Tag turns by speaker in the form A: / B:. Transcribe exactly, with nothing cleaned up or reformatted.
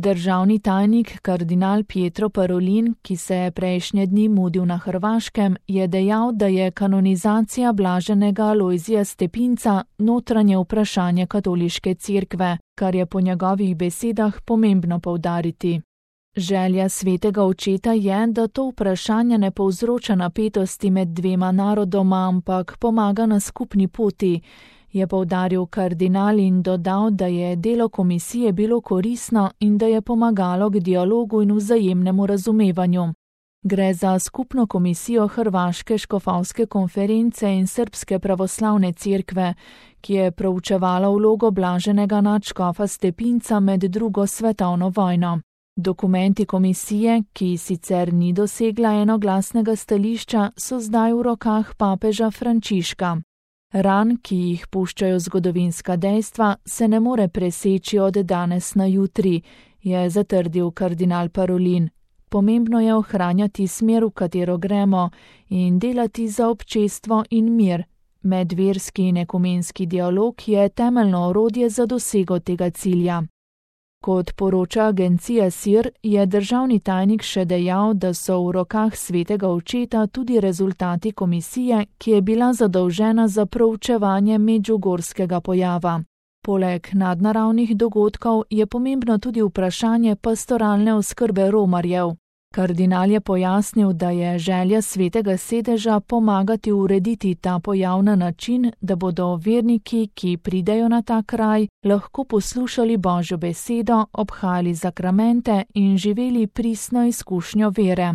A: Državni tajnik kardinal Pietro Parolin, ki se je prejšnje dni mudil na Hrvaškem, je dejal, da je kanonizacija blaženega Alojzija Stepinca notranje vprašanje katoliške cerkve, kar je po njegovih besedah pomembno poudariti. Želja svetega očeta je, da to vprašanje ne povzroča napetosti med dvema narodoma, ampak pomaga na skupni poti, je poudaril kardinal in dodal, da je delo komisije bilo koristno in da je pomagalo k dialogu in vzajemnemu razumevanju. Gre za skupno komisijo Hrvaške škofovske konference in Srbske pravoslavne cerkve, ki je proučevala vlogo blaženega nadškofa Stepinca med drugo svetovno vojno. Dokumenti komisije, ki sicer ni dosegla enoglasnega stališča, so zdaj v rokah papeža Frančiška. Ran, ki jih puščajo zgodovinska dejstva, se ne more preseči od danes na jutri, je zatrdil kardinal Parolin. Pomembno je ohranjati smer, v katero gremo, in delati za občestvo in mir. Medverski in ekumenski dialog je temeljno orodje za dosego tega cilja. Kot poroča agencija S I R, je državni tajnik še dejal, da so v rokah svetega očeta tudi rezultati komisije, ki je bila zadolžena za proučevanje medžugorskega pojava. Poleg nadnaravnih dogodkov je pomembno tudi vprašanje pastoralne oskrbe romarjev. Kardinal je pojasnil, da je želja svetega sedeža pomagati urediti ta pojav na način, da bodo verniki, ki pridejo na ta kraj, lahko poslušali Božjo besedo, obhajali zakramente in živeli pristno izkušnjo vere.